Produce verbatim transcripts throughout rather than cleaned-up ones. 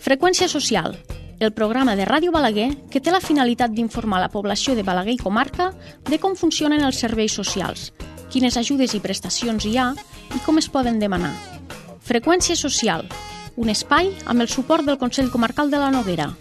Freqüència social, el programa de Ràdio Balaguer que té la finalitat d'informar la població de Balaguer i comarca de com funcionen els serveis socials, quines ajudes i prestacions hi ha i com es poden demanar. Freqüència social, un espai amb el suport del Consell Comarcal de la Noguera.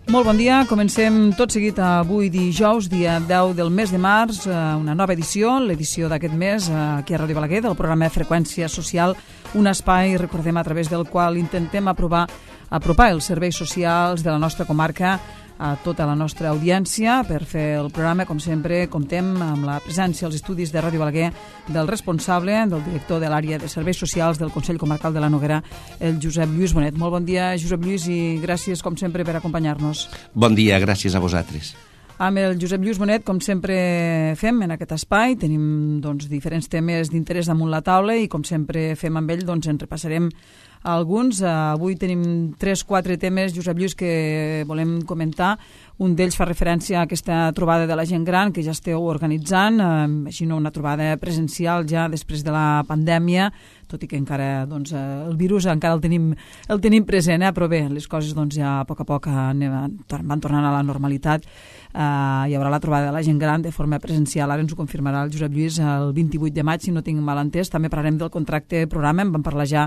Molt bon dia, comencem tot seguit avui dijous, dia deu del mes de març, una nova edició, l'edició d'aquest mes aquí a Ràdio Balaguer del programa Freqüència Social, un espai, recordem, a través del qual intentem aprovar, apropar els serveis socials de la nostra comarca a tota la nostra audiència. Per fer el programa, com sempre, comptem amb la presència als estudis de Ràdio Balaguer del responsable, del director de l'àrea de serveis socials del Consell Comarcal de la Noguera, el Josep Lluís Bonet. Molt bon dia, Josep Lluís, i gràcies, com sempre, per acompanyar-nos. Bon dia, gràcies a vosaltres. Amb el Josep Lluís Bonet, com sempre fem en aquest espai, tenim doncs, diferents temes d'interès damunt la taula i, com sempre fem amb ell, doncs, en repassarem alguns. Avui tenim tres o quatre temes, Josep Lluís, que volem comentar. Un d'ells fa referència a aquesta trobada de la gent gran que ja esteu organitzant, així no una trobada presencial ja després de la pandèmia, tot i que encara doncs, el virus encara el tenim, el tenim present, eh? Però bé, les coses doncs, ja a poc a poc van tornant a la normalitat. Uh, hi haurà la trobada de la gent gran de forma presencial, ara ens ho confirmarà el Josep Lluís, el vint-i-vuit de maig, si no tinc mal entès. També parlarem del contracte programa, en vam parlar ja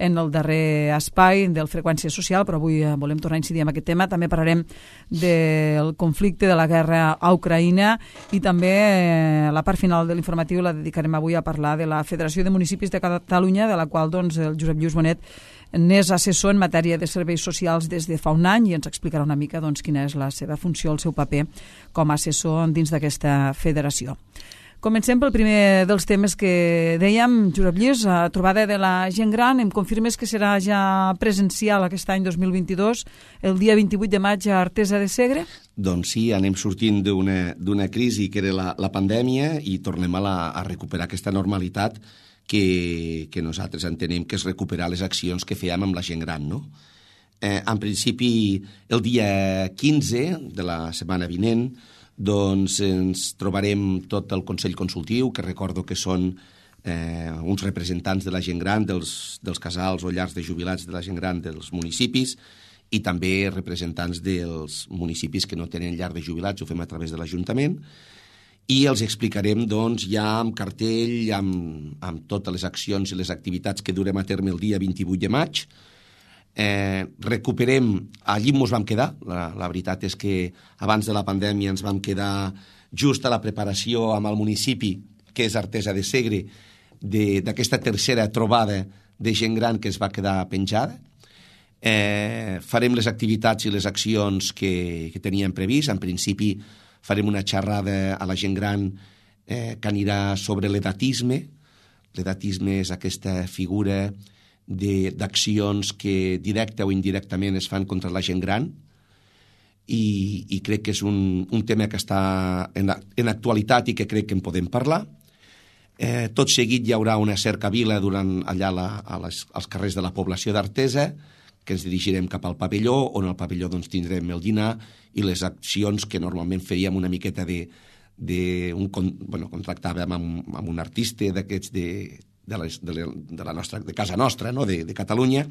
en el darrer espai del Freqüència Social, però avui volem tornar a incidir en aquest tema. També parlarem del conflicte de la guerra a Ucraïna i també eh, la part final de l'informatiu la dedicarem avui a parlar de la Federació de Municipis de Catalunya, de la qual doncs, el Josep Lluís Bonet n'és assessor en matèria de serveis socials des de fa un any i ens explicarà una mica doncs, quina és la seva funció, el seu paper com a assessor dins d'aquesta federació. Comencem pel primer dels temes que dèiem, Josep Lluís, a trobada de la gent gran. Em confirmes que serà ja presencial aquest any dos mil vint-i-dos, el dia vint-i-vuit de maig a Artesa de Segre? Doncs sí, anem sortint d'una d'una crisi que era la, la pandèmia i tornem a, la, a recuperar aquesta normalitat que, que nosaltres entenem que és recuperar les accions que fèiem amb la gent gran, no? Eh, en principi, el dia quinze de la setmana vinent, doncs ens trobarem tot el Consell Consultiu, que recordo que són eh, uns representants de la gent gran, dels, dels casals o llars de jubilats de la gent gran dels municipis, i també representants dels municipis que no tenen llar de jubilats, ho fem a través de l'Ajuntament, i els explicarem doncs, ja amb cartell, amb, amb totes les accions i les activitats que durem a terme el dia vint-i-vuit de maig. Eh, recuperem, allí ens vam quedar, la, la veritat és que abans de la pandèmia ens vam quedar just a la preparació amb el municipi, que és Artesa de Segre, d'aquesta tercera trobada de gent gran que es va quedar penjada. Eh, farem les activitats i les accions que, que teníem previst. En principi farem una xerrada a la gent gran eh, que anirà sobre l'edatisme. L'edatisme és aquesta figura d'accions que directa o indirectament es fan contra la gent gran i, i crec que és un, un tema que està en, en actualitat i que crec que en podem parlar. Eh, tot seguit hi haurà una cercavila durant allà la, a les, als carrers de la població d'Artesa, que ens dirigirem cap al pavelló, on al pavelló doncs, tindrem el dinar i les accions que normalment faríem una miqueta de... de un, bueno, contractàvem amb, amb un artista d'aquests de, de, les, de, la, de, la nostra, de casa nostra, no? de, de Catalunya,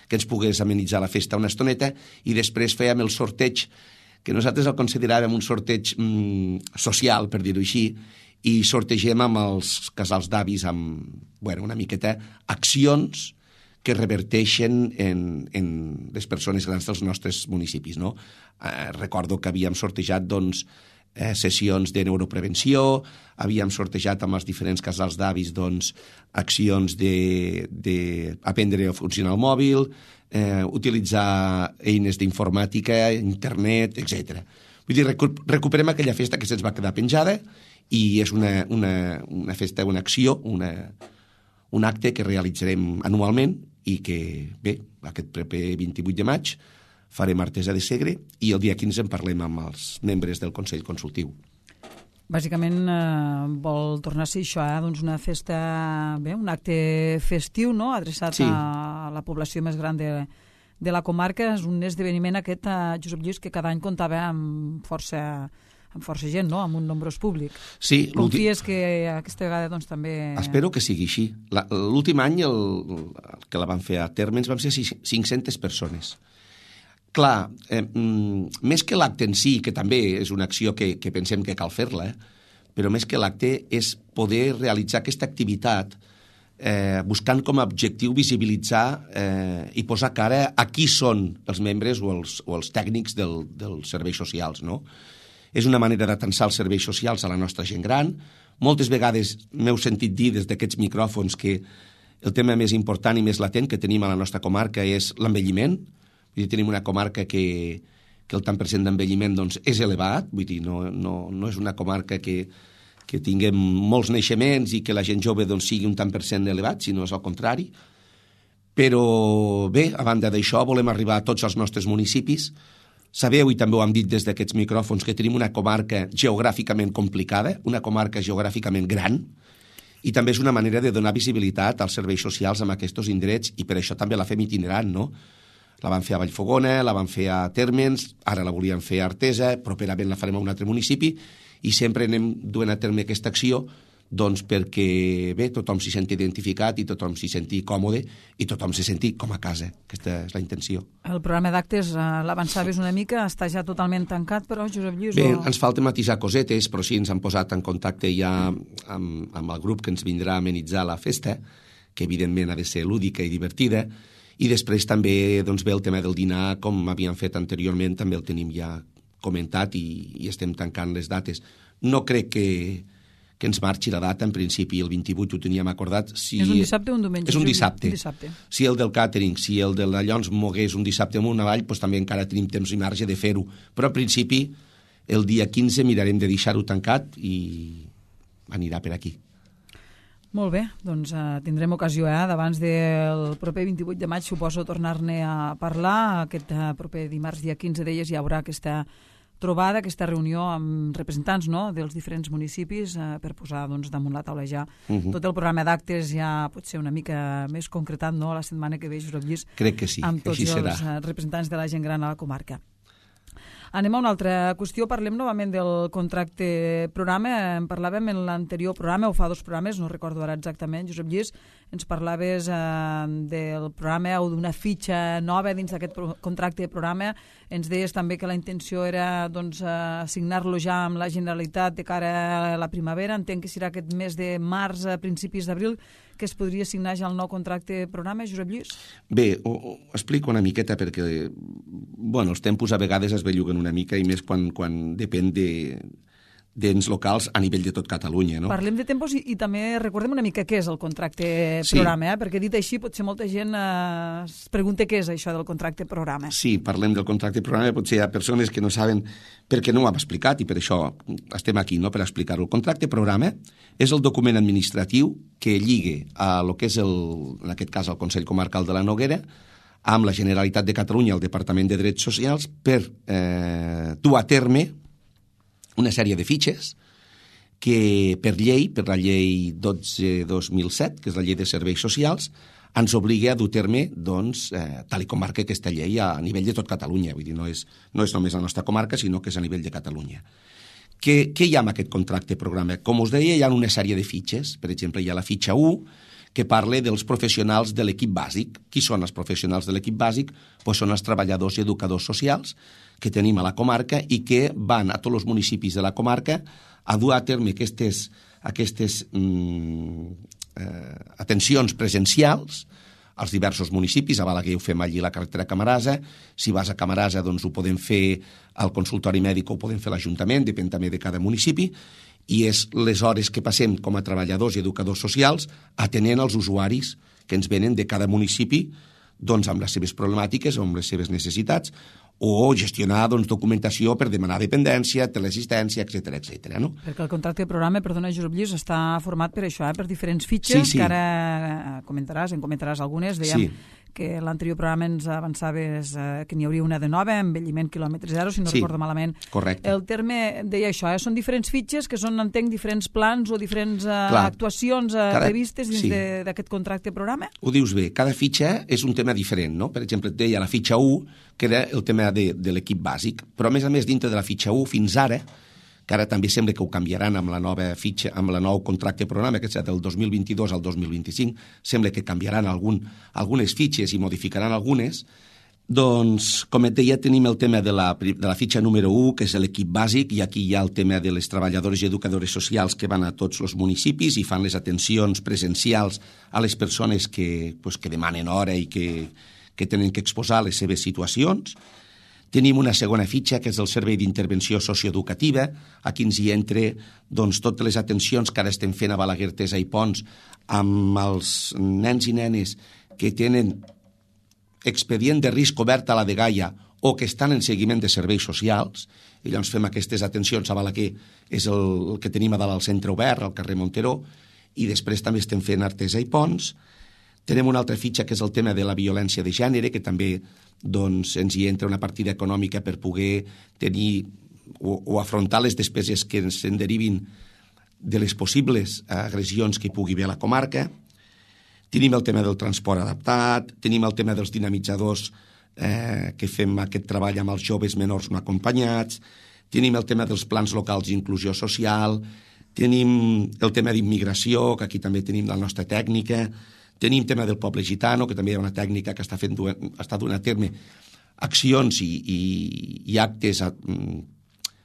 que ens pogués amenitzar la festa una estoneta, i després fèiem el sorteig, que nosaltres el consideràvem un sorteig mm, social, per dir-ho així, i sortegem amb els casals d'avis amb, bueno, una miqueta accions que reverteixen en, en les persones grans dels nostres municipis, no? Eh, recordo que havíem sortejat doncs, eh, sessions de neuroprevenció, havíem sortejat amb els diferents casals d'avis doncs, accions d'aprendre a funcionar el mòbil, eh, utilitzar eines d'informàtica, internet, etcètera. Vull dir, recu recuperem aquella festa que se'ns va quedar penjada i és una, una, una festa, una acció, una, un acte que realitzarem anualment i que, bé, aquest proper vint-i-vuit de maig farem Artesa de Segre i el dia quinze en parlem amb els membres del Consell Consultiu. Bàsicament eh, vol tornar a ser això, eh? doncs una festa, bé, un acte festiu, no?, adreçat sí. a la població més gran de, de la comarca. És un esdeveniment aquest, eh, Josep Lluís, que cada any comptava amb força amb força gent, no?, amb un nombrós públic. Sí, Confies que aquesta vegada doncs, també... Espero que sigui així. L'últim any el, el que la van fer a terme ens van ser cinc-centes persones. Clar, eh, més que l'acte en si, que també és una acció que, que pensem que cal fer-la, eh, però més que l'acte és poder realitzar aquesta activitat eh, buscant com a objectiu visibilitzar eh, i posar cara a qui són els membres o els, o els tècnics del, dels serveis socials, no? És una manera d'atensar els serveis socials a la nostra gent gran. Moltes vegades m'heu sentit dir des d'aquests micròfons que el tema més important i més latent que tenim a la nostra comarca és l'envelliment. Vull dir, tenim una comarca que, que el tant per cent d'envelliment doncs, és elevat, vull dir, no, no, no és una comarca que, que tinguem molts naixements i que la gent jove doncs, sigui un tant per cent elevat, sinó és al contrari. Però bé, a banda d'això, volem arribar a tots els nostres municipis. Sabeu, i també ho hem dit des d'aquests micròfons, que tenim una comarca geogràficament complicada, una comarca geogràficament gran, i també és una manera de donar visibilitat als serveis socials en aquests indrets, i per això també la fem itinerant, no? La van fer a Vallfogona, la van fer a Térmens, ara la volíem fer a Artesa, properament la farem a un altre municipi, i sempre anem duent a terme aquesta acció doncs perquè bé, tothom s'hi senti identificat i tothom s'hi senti còmode i tothom s'hi senti com a casa. Aquesta és la intenció. El programa d'actes, eh, l'avançaves una mica, està ja totalment tancat, però, Josep Lluís... Bé, o... ens falta matisar cosetes, però sí, ens han posat en contacte ja amb, amb el grup que ens vindrà a amenitzar la festa, que evidentment ha de ser lúdica i divertida, i després també doncs, ve el tema del dinar, com havíem fet anteriorment, també el tenim ja comentat i, i estem tancant les dates. No crec que, que ens marxi la data, en principi el vint-i-vuit ho teníem acordat. Si... És un dissabte o un diumenge? És un dissabte. un dissabte. Si el del càtering, si el de la Llons mogués un dissabte amunt avall, doncs també encara tenim temps i marge de fer-ho. Però en principi el dia quinze mirarem de deixar-ho tancat i anirà per aquí. Molt bé, doncs uh, tindrem ocasió, eh, d'abans del proper vint-i-vuit de maig, suposo, tornar-ne a parlar. Aquest uh, proper dimarts, dia quinze d'elles, hi haurà aquesta trobada, aquesta reunió amb representants, no?, dels diferents municipis uh, per posar doncs, damunt la taula ja uh-huh. tot el programa d'actes, ja pot ser una mica més concretat, no?, la setmana que ve, Josep Lluís, crec que sí, amb tots així els serà. Uh, representants de la gent gran a la comarca. Anem a una altra qüestió, parlem novament del contracte programa. En parlàvem en l'anterior programa, o fa dos programes, no recordo ara exactament, Josep Lluís, ens parlaves eh, del programa o d'una fitxa nova dins d'aquest pro contracte de programa. Ens deies també que la intenció era doncs, assignar-lo ja amb la Generalitat de cara a la primavera. Entenc que serà aquest mes de març a principis d'abril que es podria assignar ja el nou contracte programa, Josep Lluís? Bé, ho, ho explico una miqueta perquè bueno, els tempos a vegades es belluguen una mica i més quan, quan depèn de d'ens locals a nivell de tot Catalunya. No? Parlem de tempos i, i també recordem una mica què és el contracte sí. programa, eh? Perquè dit així potser molta gent eh, es pregunta què és això del contracte programa. Sí, parlem del contracte programa, potser hi ha persones que no saben perquè no ho hem explicat i per això estem aquí, no?, per explicar-ho. El contracte programa és el document administratiu que lligue a lo que és, el, en aquest cas, el Consell Comarcal de la Noguera amb la Generalitat de Catalunya, el Departament de Drets Socials, per eh, dur a terme una sèrie de fitxes que per llei, per la llei dotze dos mil set, que és la llei de serveis socials, ens obliga a dur a terme, doncs, eh, tal i com marca aquesta llei a nivell de tot Catalunya. Vull dir, no és, no és només la nostra comarca, sinó que és a nivell de Catalunya. Què, què hi ha en aquest contracte programa? Com us deia, hi ha una sèrie de fitxes. Per exemple, hi ha la fitxa u, que parla dels professionals de l'equip bàsic. Qui són els professionals de l'equip bàsic? Pues són els treballadors i educadors socials que tenim a la comarca i que van a tots els municipis de la comarca a dur a terme aquestes, aquestes mm, eh, atencions presencials als diversos municipis. A Balaguer ho fem allí a la carretera Camarasa. Si vas a Camarasa, doncs ho podem fer al consultori mèdic o ho podem fer a l'Ajuntament, depèn també de cada municipi. I és les hores que passem com a treballadors i educadors socials atenent els usuaris que ens venen de cada municipi doncs, amb les seves problemàtiques o amb les seves necessitats, o gestionar doncs, documentació per demanar dependència, teleassistència, etcètera, etcètera. No? Perquè el contracte de programa, perdona, Josep Lluís, està format per això, eh? Per diferents fitxes, sí, sí. que ara comentaràs, en comentaràs algunes. Dèiem sí. que l'anterior programa ens avançaves eh, que n'hi hauria una de nova, envelliment quilòmetre zero, si no sí. recordo malament. Correcte. El terme deia això, eh? Són diferents fitxes que són, entenc, diferents plans o diferents eh, actuacions eh, cada... previstes dins sí. d'aquest contracte de programa? Ho dius bé, cada fitxa és un tema diferent, no? Per exemple, et deia la fitxa u, que era el tema de, de l'equip bàsic, però a més a més dintre de la fitxa u fins ara que ara també sembla que ho canviaran amb la nova fitxa, amb el nou contracte programa, que serà del dos mil vint-i-dos al dos mil vint-i-cinc, sembla que canviaran algun, algunes fitxes i modificaran algunes. Doncs, com et deia, tenim el tema de la, de la fitxa número u, que és l'equip bàsic, i aquí hi ha el tema de les treballadores i educadores socials que van a tots els municipis i fan les atencions presencials a les persones que, pues, que demanen hora i que, que tenen que exposar les seves situacions. Tenim una segona fitxa, que és el Servei d'Intervenció Socioeducativa. Aquí ens hi entra doncs, totes les atencions que ara estem fent a Balaguer, Tesa i Pons amb els nens i nenes que tenen expedient de risc obert a la dgaia o que estan en seguiment de serveis socials, i llavors fem aquestes atencions a Balaguer, és el, el que tenim a dalt al centre obert, al carrer Monteró, i després també estem fent Artesa i Pons. Tenim una altra fitxa que és el tema de la violència de gènere, que també doncs, ens hi entra una partida econòmica per poder tenir o, o afrontar les despeses que ens en derivin de les possibles agressions que hi pugui haver a la comarca. Tenim el tema del transport adaptat, tenim el tema dels dinamitzadors eh, que fem aquest treball amb els joves menors no acompanyats, tenim el tema dels plans locals d'inclusió social, tenim el tema d'immigració, que aquí també tenim la nostra tècnica, tenim tema del poble gitano, que també hi ha una tècnica que està, fent, està donant a terme accions i, i, i actes a,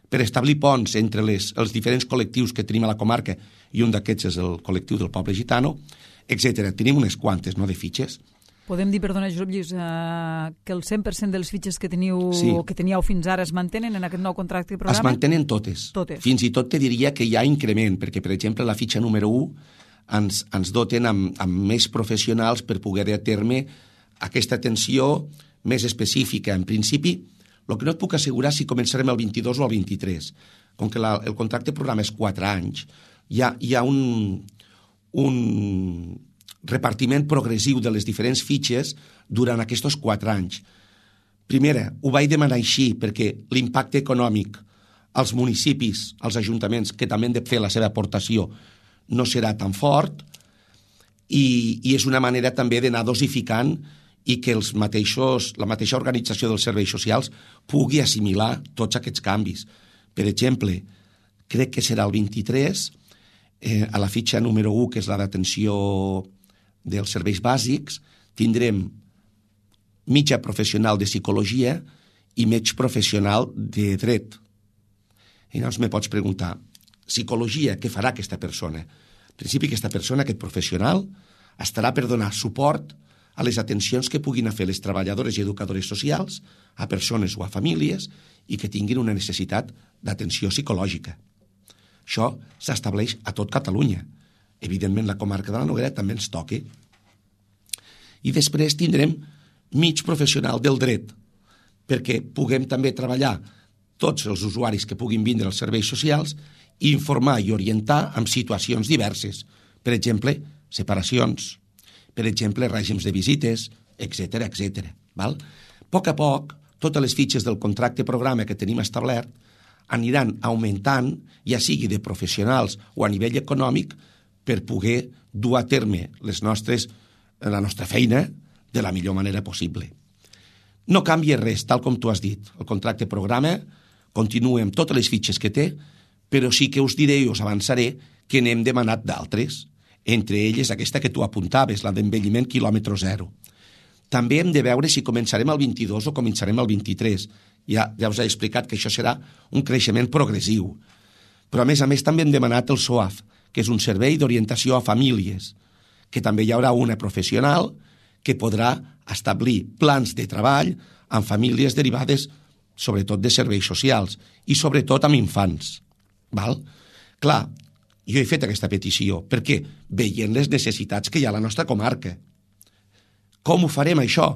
per establir ponts entre les, els diferents col·lectius que tenim a la comarca, i un d'aquests és el col·lectiu del poble gitano, etcètera. Tenim unes quantes, no?, de fitxes. Podem dir, perdona, Josep Lluís, eh, que el cent per cent de les fitxes que teniu sí. o que teníeu fins ara es mantenen en aquest nou contracte de programa? Es mantenen totes. totes. Fins i tot te diria que hi ha increment, perquè, per exemple, la fitxa número u ens, ens doten amb, amb més professionals per poder dur a terme aquesta atenció més específica. En principi, el que no et puc assegurar si començarem el vint-i-dos o el vint-i-tres. Com que la, el contracte de programa és quatre anys, hi ha, hi ha un... un repartiment progressiu de les diferents fitxes durant aquests quatre anys. Primera, ho vaig demanar així perquè l'impacte econòmic als municipis, als ajuntaments, que també han de fer la seva aportació, no serà tan fort i, i és una manera també d'anar dosificant i que els mateixos, la mateixa organització dels serveis socials pugui assimilar tots aquests canvis. Per exemple, crec que serà el vint-i-tres, Eh, a la fitxa número u, que és la d'atenció dels serveis bàsics, tindrem mitja professional de psicologia i mig professional de dret. I llavors me pots preguntar, psicologia, què farà aquesta persona? En principi, aquesta persona, aquest professional, estarà per donar suport a les atencions que puguin fer les treballadores i educadores socials a persones o a famílies i que tinguin una necessitat d'atenció psicològica. Això s'estableix a tot Catalunya. Evidentment, la comarca de la Noguera també ens toca. I després tindrem mig professional del dret, perquè puguem també treballar tots els usuaris que puguin vindre als serveis socials i informar i orientar en situacions diverses. Per exemple, separacions, per exemple, règims de visites, etcètera, etcètera. A poc a poc, totes les fitxes del contracte programa que tenim establert aniran augmentant, ja sigui de professionals o a nivell econòmic, per poder dur a terme les nostres, la nostra feina de la millor manera possible. No canvia res, tal com tu has dit. El contracte programa continua amb totes les fitxes que té, però sí que us diré i us avançaré que n'hem demanat d'altres, entre elles aquesta que tu apuntaves, la d'envelliment quilòmetre zero. També hem de veure si començarem el vint-i-dos o començarem el vint-i-tres. Ja, ja us he explicat que això serà un creixement progressiu. Però, a més a més, també hem demanat el S O A F, que és un servei d'orientació a famílies, que també hi haurà una professional que podrà establir plans de treball amb famílies derivades, sobretot de serveis socials, i sobretot amb infants. Val? Clar, jo he fet aquesta petició, perquè veient les necessitats que hi ha a la nostra comarca. Com ho farem, això?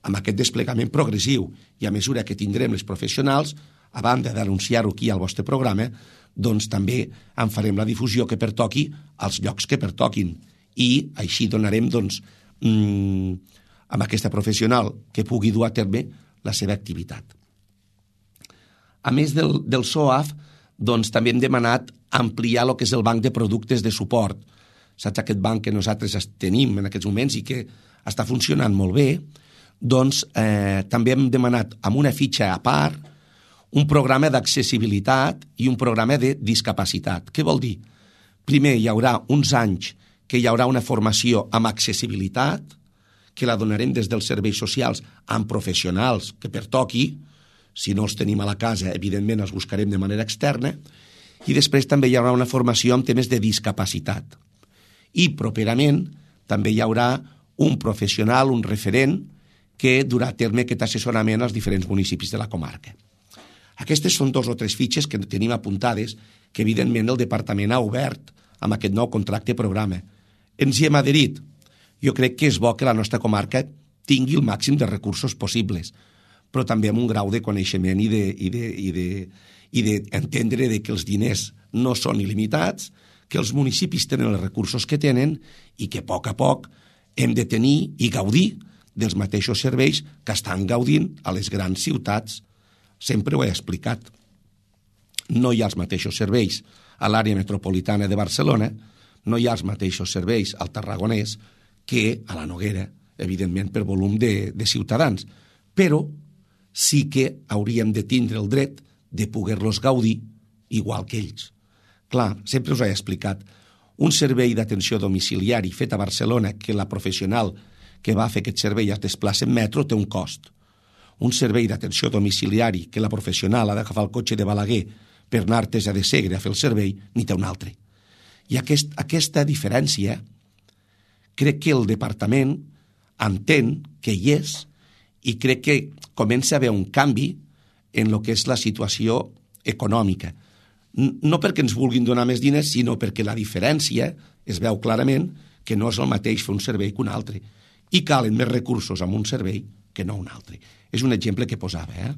Amb aquest desplegament progressiu i a mesura que tindrem les professionals, a banda d'anunciar-ho aquí al vostre programa, doncs també en farem la difusió que pertoqui als llocs que pertoquin i així donarem doncs, mmm, amb aquesta professional que pugui dur a terme la seva activitat. A més del, del S O A F, doncs també hem demanat ampliar el que és el banc de productes de suport. Saps aquest banc que nosaltres tenim en aquests moments i que està funcionant molt bé? Doncs eh, també hem demanat amb una fitxa a part un programa d'accessibilitat i un programa de discapacitat. Què vol dir? Primer hi haurà uns anys que hi haurà una formació amb accessibilitat, que la donarem des dels serveis socials amb professionals que pertoqui. Si no els tenim a la casa, evidentment els buscarem de manera externa. I després també hi haurà una formació en temes de discapacitat. I properament també hi haurà un professional, un referent, que durà a terme aquest assessorament als diferents municipis de la comarca. Aquestes són dos o tres fitxes que tenim apuntades que evidentment el departament ha obert amb aquest nou contracte programa. Ens hi hem adherit. Jo crec que és bo que la nostra comarca tingui el màxim de recursos possibles, però també amb un grau de coneixement i de, i de, i de, i d'entendre de que els diners no són il·limitats, que els municipis tenen els recursos que tenen i que a poc a poc hem de tenir i gaudir dels mateixos serveis que estan gaudint a les grans ciutats. Sempre ho he explicat. No hi ha els mateixos serveis a l'àrea metropolitana de Barcelona, no hi ha els mateixos serveis al Tarragonès que a la Noguera, evidentment per volum de, de ciutadans. Però sí que hauríem de tindre el dret de poder-los gaudir igual que ells. Clar, sempre us he explicat, un servei d'atenció domiciliari fet a Barcelona que la professional que va fer aquest servei es desplaça en metro té un cost. Un servei d'atenció domiciliari que la professional ha d'agafar el cotxe de Balaguer per anar a Artesa de Segre a fer el servei, ni té un altre. I aquest, aquesta diferència crec que el departament entén que hi és i crec que comença a haver un canvi en el que és la situació econòmica. No perquè ens vulguin donar més diners, sinó perquè la diferència es veu clarament que no és el mateix fer un servei que un altre. I calen més recursos amb un servei que no un altre. És un exemple que posava, eh?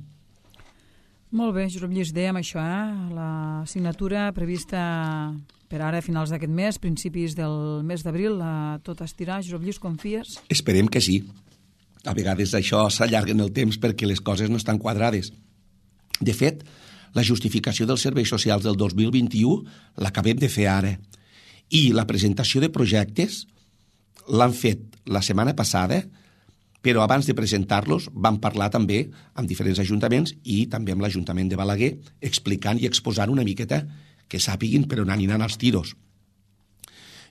Molt bé, Josep Lluís, dèiem això, eh? La signatura prevista per ara, a finals d'aquest mes, principis del mes d'abril, a tot estirar. Josep Lluís, confies? Esperem que sí. A vegades això s'allarga en el temps perquè les coses no estan quadrades. De fet, la justificació dels serveis socials del dos mil vint-i-u l'acabem de fer ara. I la presentació de projectes l'han fet la setmana passada, però abans de presentar-los vam parlar també amb diferents ajuntaments i també amb l'Ajuntament de Balaguer, explicant i exposant una miqueta que sàpiguin per on aniran els tiros.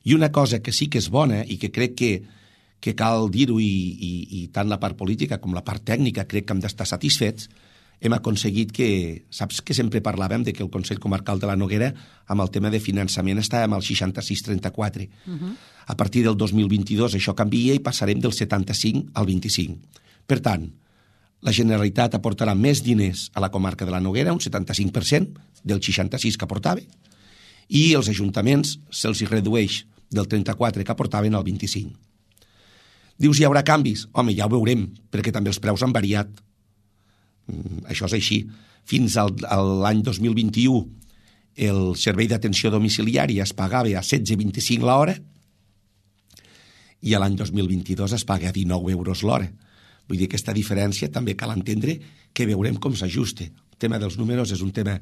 I una cosa que sí que és bona i que crec que, que cal dir-ho i, i, i tant la part política com la part tècnica crec que hem d'estar satisfets, hem aconseguit que, saps que sempre parlàvem de que el Consell Comarcal de la Noguera amb el tema de finançament estàvem al seixanta-sis trenta-quatre. Uh-huh. A partir del dos mil vint-i-dos això canvia i passarem del setanta-cinc al vint-i-cinc. Per tant, la Generalitat aportarà més diners a la comarca de la Noguera, un setanta-cinc per cent del seixanta-sis que aportava, i els ajuntaments se'ls redueix del trenta-quatre que aportaven al vint-i-cinc. Dius, hi haurà canvis? Home, ja ho veurem, perquè també els preus han variat. Això és així. Fins al, a l'any dos mil vint-i-u el servei d'atenció domiciliària es pagava a setze coma vint-i-cinc l'hora i a l'any dos mil vint-i-dos es paga a dinou euros l'hora. Vull dir, aquesta diferència també cal entendre que veurem com s'ajusta. El tema dels números és un tema,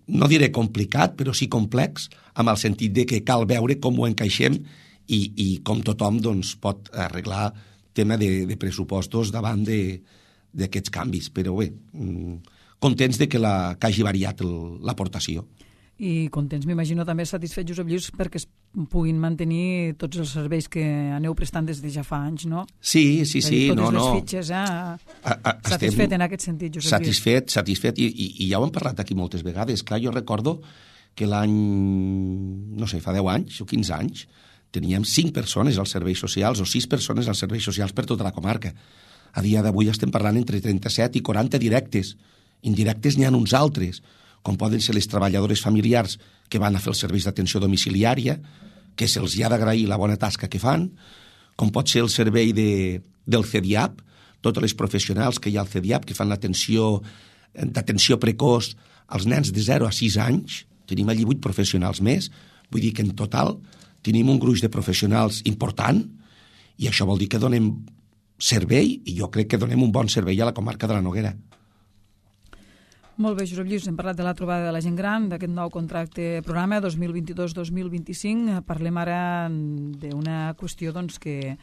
no diré complicat, però sí complex, amb el sentit de que cal veure com ho encaixem i, i com tothom doncs, pot arreglar tema de, de pressupostos davant de d'aquests canvis, però bé, contents de que, la, que hagi variat l'aportació. I contents, m'imagino, també satisfets, Josep Lluís, perquè es puguin mantenir tots els serveis que aneu prestant des de ja fa anys, no? Sí, sí, sí. Totes no, les no. fitxes, eh? A, a, satisfet en aquest sentit, Josep Lluís. Satisfet, satisfet, i, i, i ja ho hem parlat aquí moltes vegades. Clar, jo recordo que l'any, no sé, fa deu anys o quinze anys, teníem cinc persones als serveis socials o sis persones als serveis socials per tota la comarca. A dia d'avui estem parlant entre trenta-set i quaranta directes. Indirectes n'hi ha uns altres, com poden ser les treballadores familiars que van a fer els serveis d'atenció domiciliària, que se'ls ha d'agrair la bona tasca que fan, com pot ser el servei de, del C D I A P, totes les professionals que hi ha al C D I A P que fan l'atenció d'atenció precoç als nens de zero a sis anys. Tenim allí vuit professionals més, vull dir que en total tenim un gruix de professionals important i això vol dir que donem servei, i jo crec que donem un bon servei a la comarca de la Noguera. Molt bé, Josep Lluís, hem parlat de la trobada de la gent gran, d'aquest nou contracte programa dos mil vint-i-dos dos mil vint-i-cinc. Parlem ara d'una qüestió doncs, que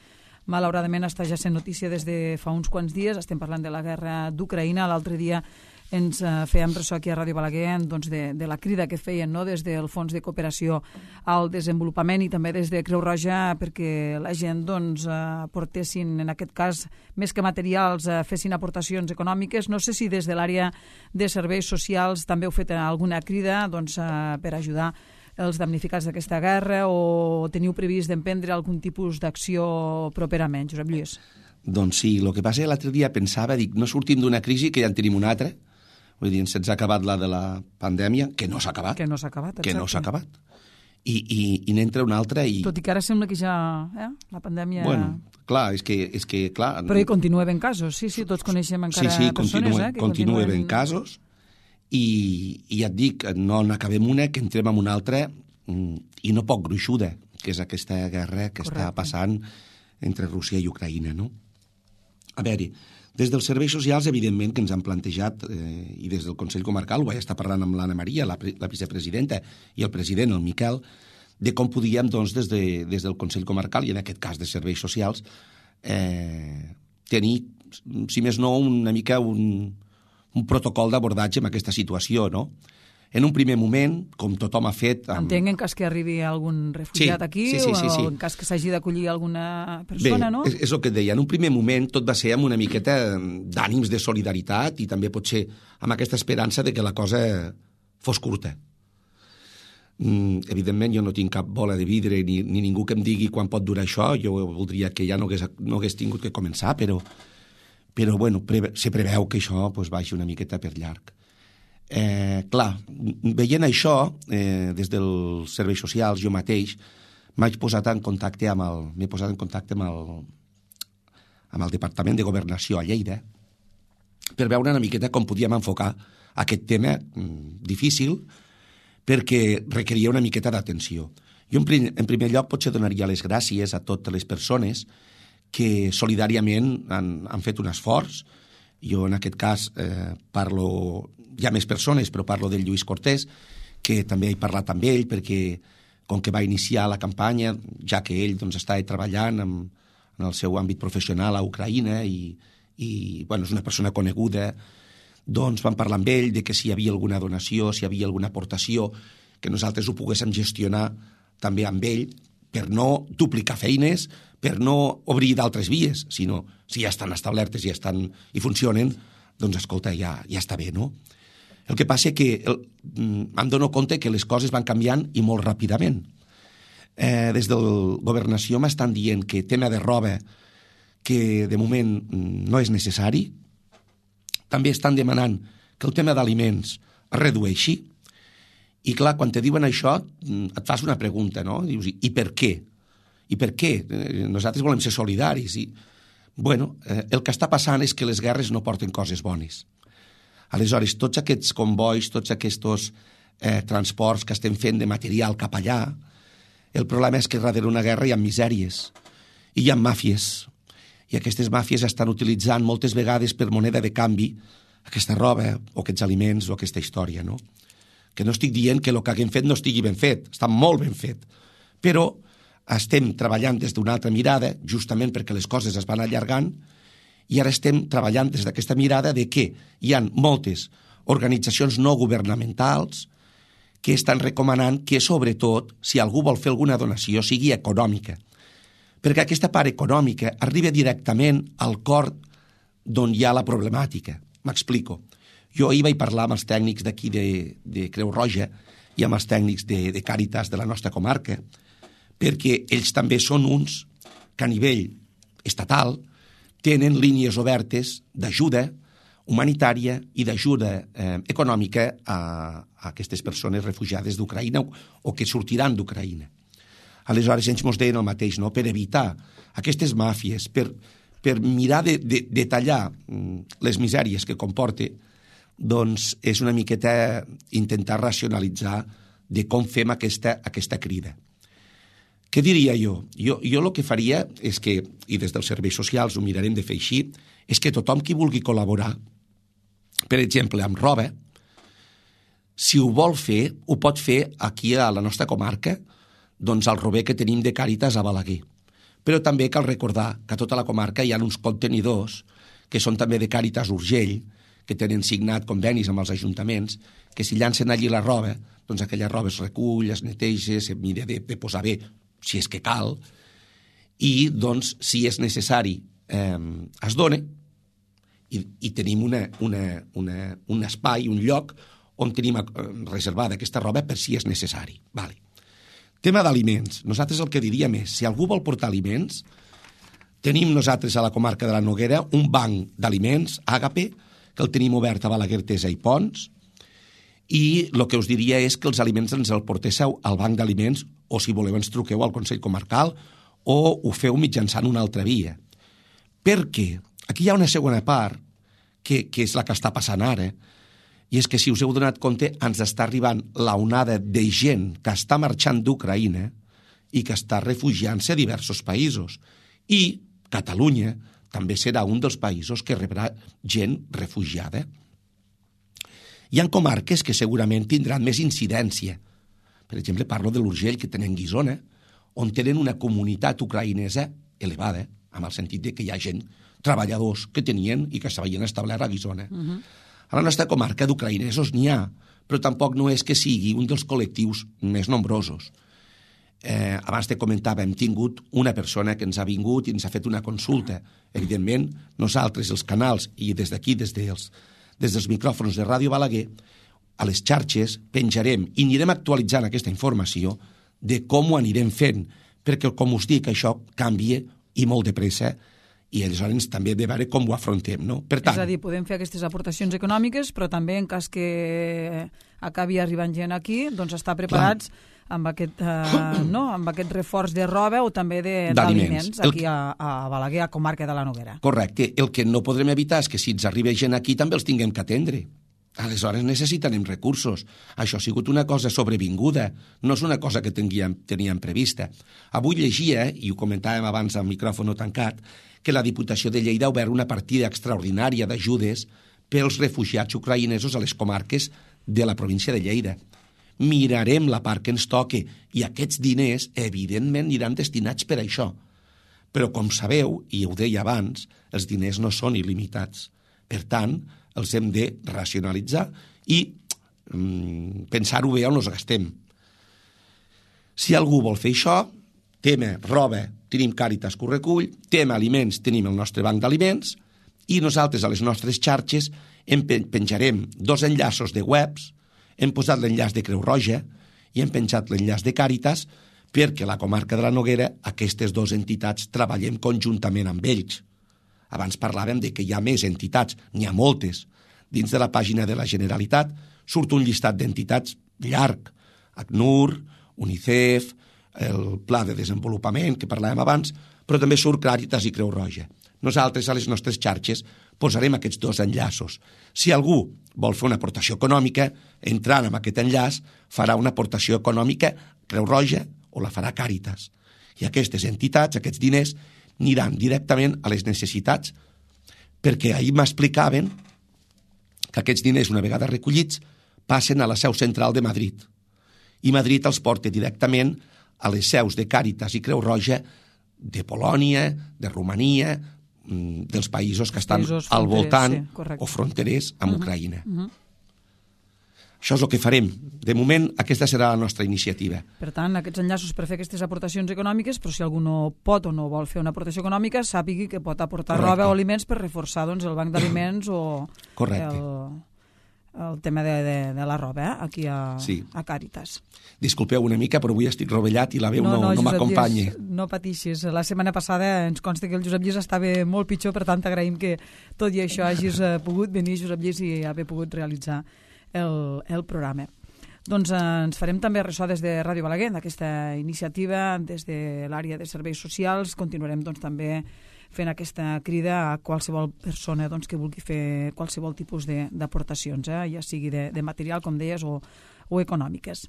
malauradament està ja sent notícia des de fa uns quants dies. Estem parlant de la guerra d'Ucraïna. L'altre dia ens eh, fèiem ressò aquí a Ràdio Balaguer doncs, de, de la crida que feien no? Des del Fons de Cooperació al Desenvolupament i també des de Creu Roja perquè la gent doncs, eh, portessin, en aquest cas, més que materials, eh, fessin aportacions econòmiques. No sé si des de l'àrea de serveis socials també heu fet alguna crida doncs, eh, per ajudar els damnificats d'aquesta guerra o teniu previst d'emprendre algun tipus d'acció properament, Josep Lluís? Doncs sí, el que passa l'altre dia pensava, dic, no sortim d'una crisi que ja en tenim una altra, vull dir, se'ns ha acabat la de la pandèmia, que no s'ha acabat. Que no s'ha acabat, exacte. Que no s'ha acabat. I, i, i n'entra una altra i... Tot i que ara sembla que ja eh, la pandèmia... Bueno, clar, és que... És que clar... Però hi continua havent casos, sí, sí, tots coneixem encara sí, sí, persones continua, eh, que continua continuen... havent casos i, i ja et dic, no n'acabem una, que entrem en una altra i no poc gruixuda, que és aquesta guerra que Correcte. Està passant entre Rússia i Ucraïna, no? A veure, des dels serveis socials, evidentment, que ens han plantejat, eh, i des del Consell Comarcal, ho vaig estar parlant amb l'Anna Maria, la, la vicepresidenta, i el president, el Miquel, de com podíem, doncs, des, de, des del Consell Comarcal, i en aquest cas de serveis socials, eh, tenir, si més no, una mica un, un protocol d'abordatge en aquesta situació, no? En un primer moment, com tothom ha fet... Amb... Entenc en cas que arribi algun refugiat sí, aquí sí, sí, sí, sí. o en cas que s'hagi d'acollir alguna persona, Bé, no? és, és el que et deia. En un primer moment tot va ser amb una miqueta d'ànims de solidaritat i també potser amb aquesta esperança de que la cosa fos curta. Mm, evidentment, jo no tinc cap bola de vidre ni, ni ningú que em digui quan pot durar això. Jo voldria que ja no hagués, no hagués tingut que començar, però, però bueno, preve, se preveu que això pues, vagi una miqueta per llarg. Eh, clar, veient això, eh, des dels serveis socials, jo mateix m'haig posat en contacte amb el, m'he posat en contacte amb el, amb el Departament de Governació a Lleida per veure una miqueta com podíem enfocar aquest tema mm, difícil perquè requeria una miqueta d'atenció. Jo, en, prim, en primer lloc, potser donaria les gràcies a totes les persones que solidàriament han, han fet un esforç. Jo, en aquest cas, eh, parlo... Hi ha més persones, però parlo del Lluís Cortés, que també he parlat amb ell, perquè com que va iniciar la campanya, ja que ell doncs, estava treballant en, en el seu àmbit professional a Ucraïna i, i bueno, és una persona coneguda, doncs vam parlar amb ell de que si hi havia alguna donació, si hi havia alguna aportació, que nosaltres ho poguéssim gestionar també amb ell, per no duplicar feines, per no obrir d'altres vies, sinó si ja estan establertes i, estan, i funcionen, doncs escolta, ja, ja està bé, no? El que passa és que el, em dono compte que les coses van canviant i molt ràpidament. Eh, des del Governació m'estan dient que tema de roba, que de moment no és necessari, també estan demanant que el tema d'aliments es redueixi, i clar, quan te diuen això, et fas una pregunta, no? Dius, i per què? I per què? Nosaltres volem ser solidaris. I, bueno, eh, el que està passant és que les guerres no porten coses bones. Aleshores, tots aquests convois, tots aquests eh, transports que estem fent de material cap allà, el problema és que darrere una guerra hi ha misèries i hi ha màfies. I aquestes màfies estan utilitzant moltes vegades per moneda de canvi aquesta roba o aquests aliments o aquesta història, no? Que no estic dient que el que haguem fet no estigui ben fet, està molt ben fet, però estem treballant des d'una altra mirada, justament perquè les coses es van allargant, i ara estem treballant des d'aquesta mirada de que hi ha moltes organitzacions no governamentals que estan recomanant que, sobretot, si algú vol fer alguna donació, sigui econòmica. Perquè aquesta part econòmica arriba directament al cor d'on hi ha la problemàtica. M'explico. Jo ahir vaig parlar amb els tècnics d'aquí de, de Creu Roja i amb els tècnics de, de Càritas de la nostra comarca, perquè ells també són uns que a nivell estatal tenen línies obertes d'ajuda humanitària i d'ajuda eh, econòmica a, a aquestes persones refugiades d'Ucraïna o, o que sortiran d'Ucraïna. Aleshores, ells ens deien el mateix, no? Per evitar aquestes màfies, per, per mirar de, de, de tallar les misèries que comporta, doncs és una miqueta intentar racionalitzar de com fem aquesta, aquesta crida. Què diria jo? Jo, jo el que faria és que, i des dels serveis socials ho mirarem de fer així, és que tothom qui vulgui col·laborar, per exemple, amb roba, si ho vol fer, ho pot fer aquí a la nostra comarca, doncs al rober que tenim de Càritas a Balaguer. Però també cal recordar que a tota la comarca hi ha uns contenidors que són també de Càritas Urgell, que tenen signat convenis amb els ajuntaments, que si llancen allí la roba, doncs aquella roba es recull, es neteja, se mira de, de posar bé, si és que cal, i doncs, si és necessari, eh, es dona, i, i tenim una, una, una, un espai, un lloc, on tenim reservada aquesta roba per si és necessari. Vale. Tema d'aliments. Nosaltres el que diríem és, si algú vol portar aliments, tenim nosaltres a la comarca de la Noguera un banc d'aliments, Àgape, que el tenim obert a Balaguer, Tesa i Pons, i el que us diria és que els aliments ens el portéssiu al banc d'aliments, o si voleu ens truqueu al Consell Comarcal, o ho feu mitjançant una altra via. Perquè aquí hi ha una segona part, que, que és la que està passant ara, i és que, si us heu donat compte, ens està arribant la onada de gent que està marxant d'Ucraïna i que està refugiant-se a diversos països. I Catalunya també serà un dels països que rebrà gent refugiada. Hi ha comarques que segurament tindran més incidència. Per exemple, parlo de l'Urgell, que tenen Guissona, on tenen una comunitat ucraïnesa elevada, amb el sentit de que hi ha gent, treballadors que tenien i que s'havien establert a Guissona. Uh-huh. A la nostra comarca d'ucraïnesos n'hi ha, però tampoc no és que sigui un dels col·lectius més nombrosos. Eh, abans te comentava, hem tingut una persona que ens ha vingut i ens ha fet una consulta. Evidentment, nosaltres, els canals, i des d'aquí, des dels, des dels micròfons de Ràdio Balaguer, a les xarxes penjarem i anirem actualitzant aquesta informació de com ho anirem fent, perquè, com us dic, això canvia i molt de pressa, i aleshores també hem de veure com ho afrontem, no? Per tant, és a dir, podem fer aquestes aportacions econòmiques, però també en cas que acabi arribant gent aquí, doncs estar preparats clar. amb aquest, eh, no? amb aquest reforç de roba o també d'aliments aquí a, a Balaguer, a comarca de la Noguera. Correcte. El que no podrem evitar és que si ens arriba gent aquí també els tinguem que atendre. Aleshores necessitarem recursos. Això ha sigut una cosa sobrevinguda, no és una cosa que teníem, teníem prevista. Avui llegia, i ho comentàvem abans al micròfon tancat, que la Diputació de Lleida ha obert una partida extraordinària d'ajudes pels refugiats ucraïnesos a les comarques de la província de Lleida. Mirarem la part que ens toque i aquests diners, evidentment, aniran destinats per això. Però, com sabeu, i ho deia abans, els diners no són il·limitats. Per tant, els hem de racionalitzar i mm, pensar-ho bé on els gastem. Si algú vol fer això, tema roba, tenim Càritas que ho recull, tema aliments, tenim el nostre banc d'aliments, i nosaltres a les nostres xarxes en penjarem dos enllaços de webs, hem posat l'enllaç de Creu Roja i hem penjat l'enllaç de Càritas perquè a la comarca de la Noguera aquestes dues entitats treballem conjuntament amb ells. Abans parlàvem de que hi ha més entitats, n'hi ha moltes. Dins de la pàgina de la Generalitat surt un llistat d'entitats llarg. ACNUR, UNICEF, el Pla de Desenvolupament, que parlàvem abans, però també surt Càritas i Creu Roja. Nosaltres a les nostres xarxes posarem aquests dos enllaços. Si algú vol fer una aportació econòmica, entrant en aquest enllaç, farà una aportació econòmica Creu Roja o la farà Càritas. I aquestes entitats, aquests diners, aniran directament a les necessitats, perquè ahir m'explicaven que aquests diners, una vegada recollits, passen a la seu central de Madrid. I Madrid els porta directament a les seus de Càritas i Creu Roja de Polònia, de Romania, dels països que estan al voltant sí, o fronterers amb uh-huh, Ucraïna. Uh-huh. Això és el que farem. De moment, aquesta serà la nostra iniciativa. Per tant, aquests enllaços per fer aquestes aportacions econòmiques, però si algú no pot o no vol fer una aportació econòmica, sàpigui que pot aportar Correcte. roba o aliments per reforçar doncs, el banc d'aliments o el, el tema de, de, de la roba eh? aquí a, sí. a Càritas. Disculpeu una mica, però avui estic rovellat i la veu no, no, no m'acompanya. No patixis. La setmana passada ens consta que el Josep Lluís estava molt pitjor, per tant agraïm que tot i això hagis pogut venir, Josep Lluís, i haver pogut realitzar el, el programa. Doncs eh, ens farem també ressò des de Ràdio Balaguer d'aquesta iniciativa, des de l'àrea de serveis socials. Continuarem doncs, també fent aquesta crida a qualsevol persona doncs, que vulgui fer qualsevol tipus d'aportacions, eh? ja sigui de, de material, com deies, o, o econòmiques.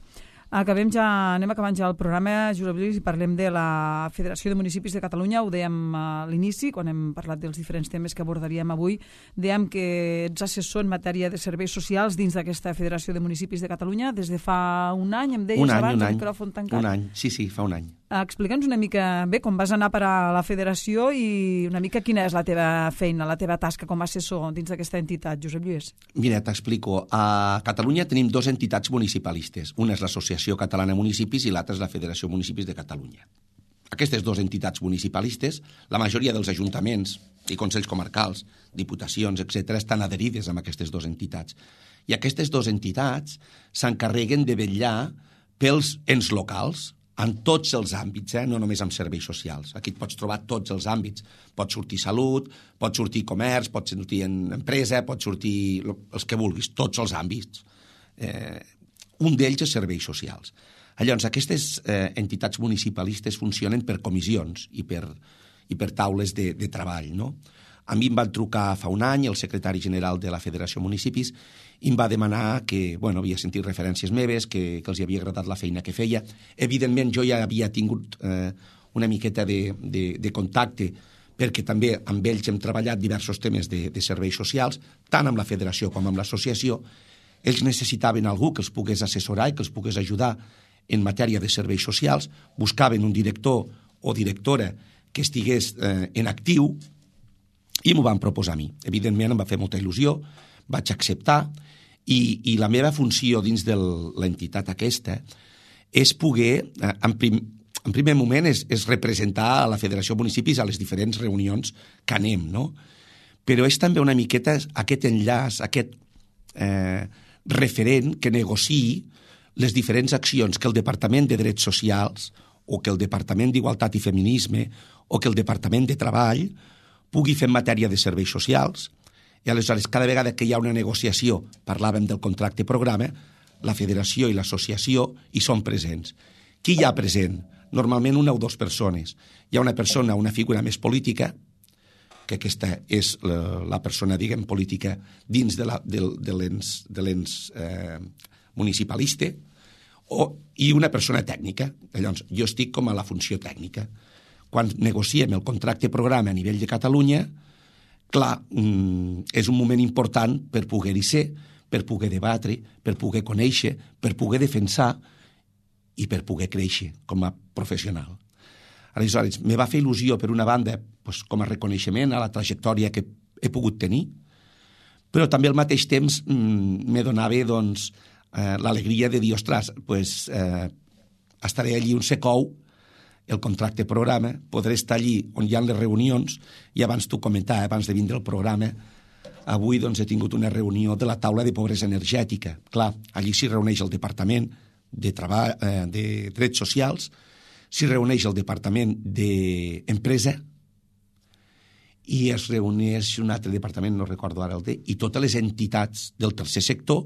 Acabem ja, anem acabant ja el programa, Josep Lluís, i parlem de la Federació de Municipis de Catalunya. Ho dèiem a l'inici, quan hem parlat dels diferents temes que abordaríem avui. Dèiem que ets assessor en matèria de serveis socials dins d'aquesta Federació de Municipis de Catalunya des de fa un any, em deies un any, abans, un any, el micròfon tancat. Un any, sí, sí, fa un any. Explica'ns una mica, bé, com vas anar per a la Federació i una mica quina és la teva feina, la teva tasca com a assessor dins d'aquesta entitat, Josep Lluís. Mira, t'explico. A Catalunya tenim dues entitats municipalistes. Una és l'Associació Catalana de Municipis i l'altra és la Federació de Municipis de Catalunya. Aquestes dues entitats municipalistes, la majoria dels ajuntaments i consells comarcals, diputacions, etcètera, estan adherides amb aquestes dues entitats. I aquestes dues entitats s'encarreguen de vetllar pels ens locals, en tots els àmbits, eh? No només en serveis socials. Aquí et pots trobar tots els àmbits. Pot sortir salut, pot sortir comerç, pot sortir en empresa, pot sortir els que vulguis, tots els àmbits. Eh, un d'ells és serveis socials. Llavors, aquestes eh, entitats municipalistes funcionen per comissions i per, i per taules de, de treball, no? A mi em van trucar fa un any el secretari general de la Federació de Municipis i em va demanar que, bueno, havia sentit referències meves, que, que els havia agradat la feina que feia. Evidentment, jo ja havia tingut eh, una miqueta de, de, de contacte perquè també amb ells hem treballat diversos temes de, de serveis socials, tant amb la Federació com amb l'associació. Ells necessitaven algú que els pogués assessorar i que els pogués ajudar en matèria de serveis socials, buscaven un director o directora que estigués eh, en actiu i m'ho van proposar a mi. Evidentment em va fer molta il·lusió, vaig acceptar i, i la meva funció dins de l'entitat aquesta és poder, eh, en, prim, en primer moment, és, és representar a la Federació de Municipis a les diferents reunions que anem, no? Però és també una miqueta aquest enllaç, aquest eh, referent que negociï les diferents accions que el Departament de Drets Socials o que el Departament d'Igualtat i Feminisme o que el Departament de Treball pugui fer en matèria de serveis socials. I aleshores, cada vegada que hi ha una negociació, parlàvem del contracte programa, la federació i l'associació hi són presents. Qui hi ha present? Normalment una o dues persones. Hi ha una persona, una figura més política, que aquesta és la, la persona, diguem, política dins de, la, de, de l'ens, de l'ens eh, municipalista, o, i una persona tècnica. Llavors, jo estic com a la funció tècnica. Quan negociem el contracte programa a nivell de Catalunya, clar, és un moment important per poder-hi ser, per poder debatre, per poder conèixer, per poder defensar i per poder créixer com a professional. Aleshores, me va fer il·lusió, per una banda, doncs, com a reconeixement a la trajectòria que he pogut tenir, però també al mateix temps me donava doncs, eh, l'alegria de dir, ostres, pues, eh, estaré allí un secou, el contracte programa, podré estar allí on hi ha les reunions, i abans t'ho comentava, abans de vindre el programa, avui doncs, he tingut una reunió de la taula de pobresa energètica. Clar, allí s'hi reuneix el Departament de, Treball, eh, de Drets Socials, s'hi reuneix el Departament d'Empresa i es reuneix un altre departament, no recordo ara el de, i totes les entitats del tercer sector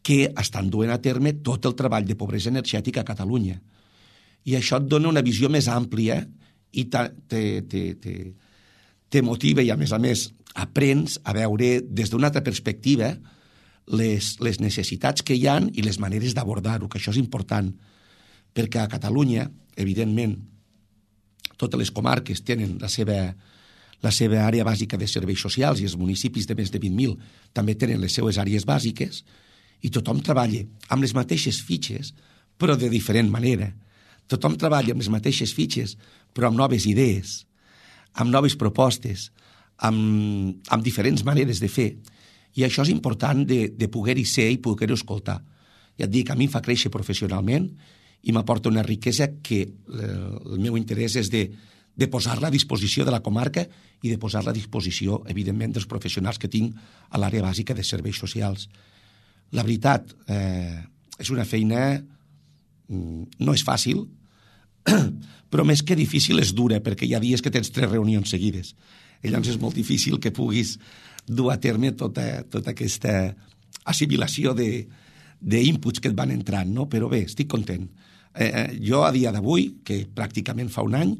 que estan duent a terme tot el treball de pobresa energètica a Catalunya. I això et dona una visió més àmplia i te, te, te, te, te motiva i, a més a més, aprens a veure des d'una altra perspectiva les, les necessitats que hi ha i les maneres d'abordar-ho, que això és important, perquè a Catalunya, evidentment, totes les comarques tenen la seva, la seva àrea bàsica de serveis socials i els municipis de més de vint mil també tenen les seues àrees bàsiques i tothom treballa amb les mateixes fitxes, però de diferent manera. Tothom treballa amb les mateixes fitxes, però amb noves idees, amb noves propostes, amb, amb diferents maneres de fer. I això és important de, de poder-hi ser i poder-ho escoltar. Ja et dic, a mi em fa créixer professionalment i m'aporta una riquesa que el meu interès és de, de posar-la a disposició de la comarca i de posar-la a disposició, evidentment, dels professionals que tinc a l'àrea bàsica de serveis socials. La veritat, eh, és una feina... no és fàcil, però més que difícil és dura, perquè hi ha dies que tens tres reunions seguides. I llavors és molt difícil que puguis dur a terme tota, tota aquesta assimilació d'inputs que et van entrant, no? Però bé, estic content. Eh, jo, a dia d'avui, que pràcticament fa un any,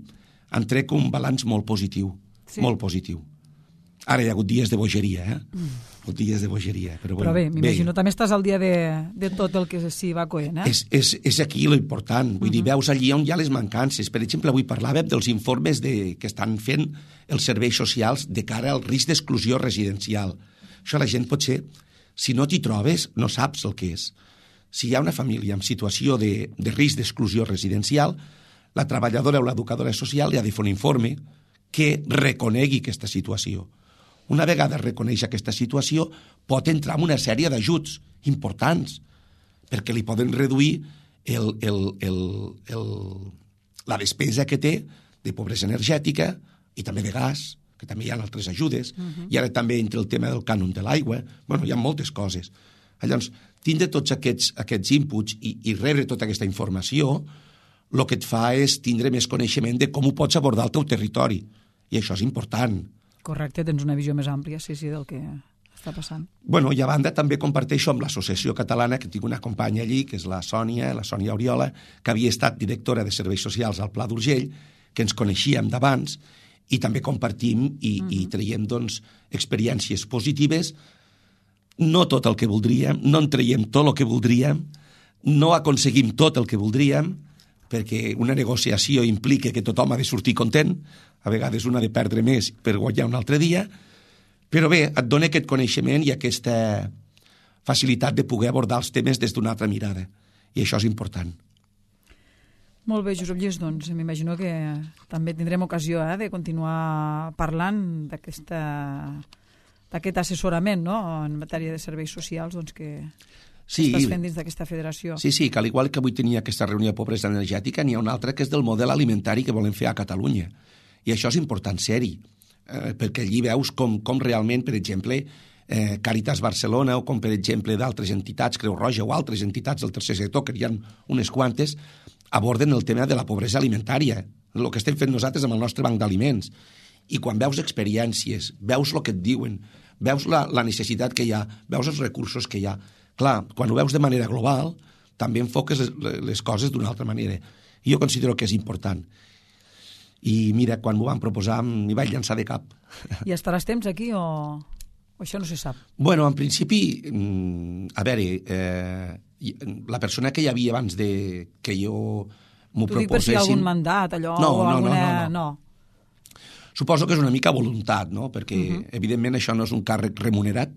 en trec un balanç molt positiu, sí. molt positiu. Ara hi ha hagut dies de bogeria, eh? Mm. Foties de bogeria. Però, bueno, però bé, m'imagino, també estàs al dia de, de tot el que s'hi va coent, eh? És, és, és aquí lo important. Vull uh -huh. dir, veus allí on hi ha les mancances. Per exemple, avui parlàvem dels informes de, que estan fent els serveis socials de cara al risc d'exclusió residencial. Això la gent potser, si no t'hi trobes, no saps el que és. Si hi ha una família en situació de, de risc d'exclusió residencial, la treballadora o l'educadora social li ha de fer un informe que reconegui aquesta situació. Una vegada reconeix aquesta situació, pot entrar en una sèrie d'ajuts importants, perquè li poden reduir el, el, el, el, la despesa que té de pobresa energètica i també de gas, que també hi ha altres ajudes, uh-huh. i ara també entre el tema del cànon de l'aigua. Bueno, hi ha moltes coses. Llavors, tindre tots aquests, aquests inputs i, i rebre tota aquesta informació, el que et fa és tindre més coneixement de com ho pots abordar al teu territori. I això és important. Correcte, tens una visió més àmplia, sí, sí, del que està passant. Bueno, i a banda també comparteixo amb l'Associació Catalana, que tinc una companya allí, que és la Sònia, la Sònia Oriola, que havia estat directora de Serveis Socials al Pla d'Urgell, que ens coneixíem d'abans, i també compartim i, uh-huh. i traiem, doncs, experiències positives. No tot el que voldríem, no en traiem tot el que voldríem, no aconseguim tot el que voldríem, perquè una negociació implica que tothom ha de sortir content, a vegades un ha de perdre més per guanyar un altre dia, però bé, et dona aquest coneixement i aquesta facilitat de poder abordar els temes des d'una altra mirada, i això és important. Molt bé, Josep Lluís, doncs m'imagino que també tindrem ocasió eh, de continuar parlant d'aquesta d'aquest assessorament, no?, en matèria de serveis socials, doncs que... Sí, estàs fent dins d'aquesta federació. Sí, sí, que al igual que avui tenia aquesta reunió de pobresa energètica, n'hi ha una altra que és del model alimentari que volem fer a Catalunya. I això és important ser-hi, eh, perquè allí veus com, com realment, per exemple, eh, Càritas Barcelona o com, per exemple, d'altres entitats, Creu Roja o altres entitats del tercer sector, que hi ha unes quantes, aborden el tema de la pobresa alimentària, el que estem fent nosaltres amb el nostre banc d'aliments. I quan veus experiències, veus el que et diuen, veus la, la necessitat que hi ha, veus els recursos que hi ha, clar, quan ho veus de manera global, també enfoques les, les coses d'una altra manera. I jo considero que és important. I mira, quan m'ho van proposar m'hi vaig llançar de cap. I estaràs temps aquí o, o això no se sap? Bueno, en principi, a veure, eh, la persona que hi havia abans de que jo m'ho proposessin... T'ho dic per si hi ha algun mandat, allò, no, o no, alguna... No, no, no. no. Suposo que és una mica voluntat, no? Perquè, uh-huh. evidentment, això no és un càrrec remunerat,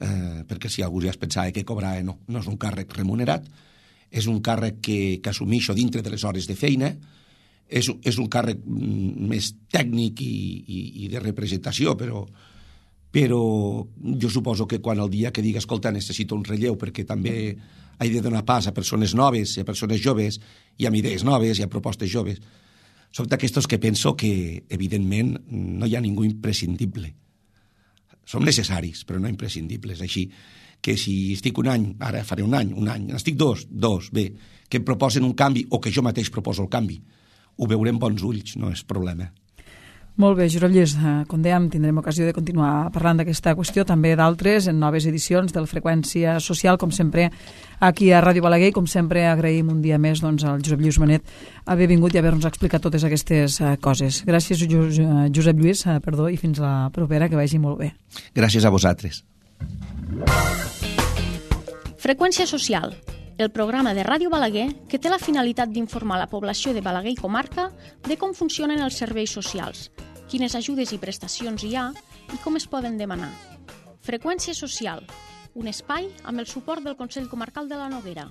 eh, perquè si algú ja es pensava que cobrava, no, no és un càrrec remunerat, és un càrrec que, que assumixo dintre de les hores de feina, és, és un càrrec més tècnic i, i, i de representació, però, però jo suposo que quan el dia que digui, escolta, necessito un relleu perquè també he de donar pas a persones noves, a persones joves, i amb idees noves i a propostes joves, soc d'aquestos que penso que, evidentment, no hi ha ningú imprescindible. Som necessaris, però no imprescindibles. Així que si estic un any, ara faré un any, un any, estic dos, dos, bé, que em proposen un canvi o que jo mateix proposo el canvi, ho veurem bons ulls, no és problema. Molt bé, Josep Lluís, com dèiem, tindrem ocasió de continuar parlant d'aquesta qüestió, també d'altres, en noves edicions del Freqüència Social, com sempre, aquí a Ràdio Balaguer, com sempre agraïm un dia més doncs, al Josep Lluís Bonet haver vingut i haver-nos explicat totes aquestes uh, coses. Gràcies, Josep Lluís, uh, perdó, i fins la propera, que vagi molt bé. Gràcies a vosaltres. Freqüència Social, el programa de Ràdio Balaguer que té la finalitat d'informar la població de Balaguer i comarca de com funcionen els serveis socials, quines ajudes i prestacions hi ha i com es poden demanar. Freqüència Social, un espai amb el suport del Consell Comarcal de la Noguera.